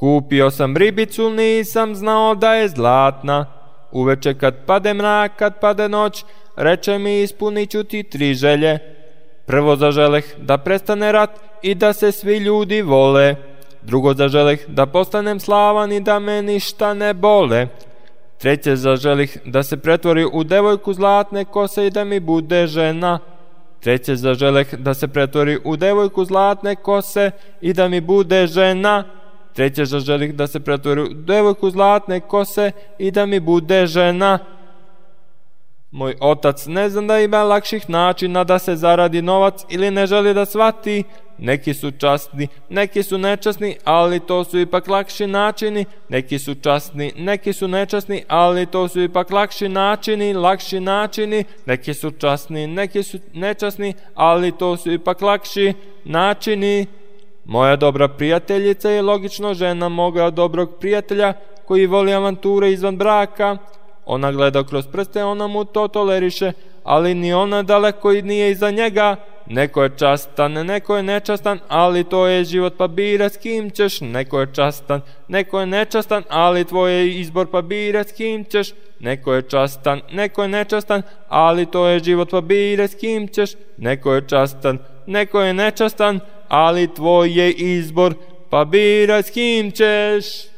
Kupio sam ribicu, nisam znao da je zlatna. Uveče kad pade mrak, kad pade noć, reče mi ispunit ću ti 3 želje. Prvo zaželeh da prestane rat i da se svi ljudi vole. Drugo zaželeh da postanem slavan i da me ništa ne bole. Treće zaželih da se pretvori u devojku zlatne kose i da mi bude žena. Treće zaželeh da se pretvori u devojku zlatne kose i da mi bude žena. Treće zaželih da se pretvori u devojku zlatne kose i da mi bude žena. Moj otac ne zna da ima lakših načina da se zaradi novac ili ne želi da shvati. Neki su časni, neki su nečasni, ali to su ipak lakši načini. Neki su časni, neki su nečasni, ali to su ipak lakši načini. Neki su časni, neki su nečasni, ali to su ipak lakši načini. Moja dobra prijateljica je logično žena moga dobrog prijatelja koji voli avanture izvan braka. Ona gleda kroz prste, ona mu to toleriše, ali ni ona daleko i nije iza njega. Neko je častan, neko je nečastan, ali to je život, pa bira s kim ćeš. Neko je častan, neko je nečastan, ali tvoj je izbor, pa bira s kim ćeš. Neko je častan, neko je nečastan, ali to je život, pa bira s kim ćeš. Neko je častan, neko je nečastan, ali tvoj je izbor, pa bira s kim ćeš.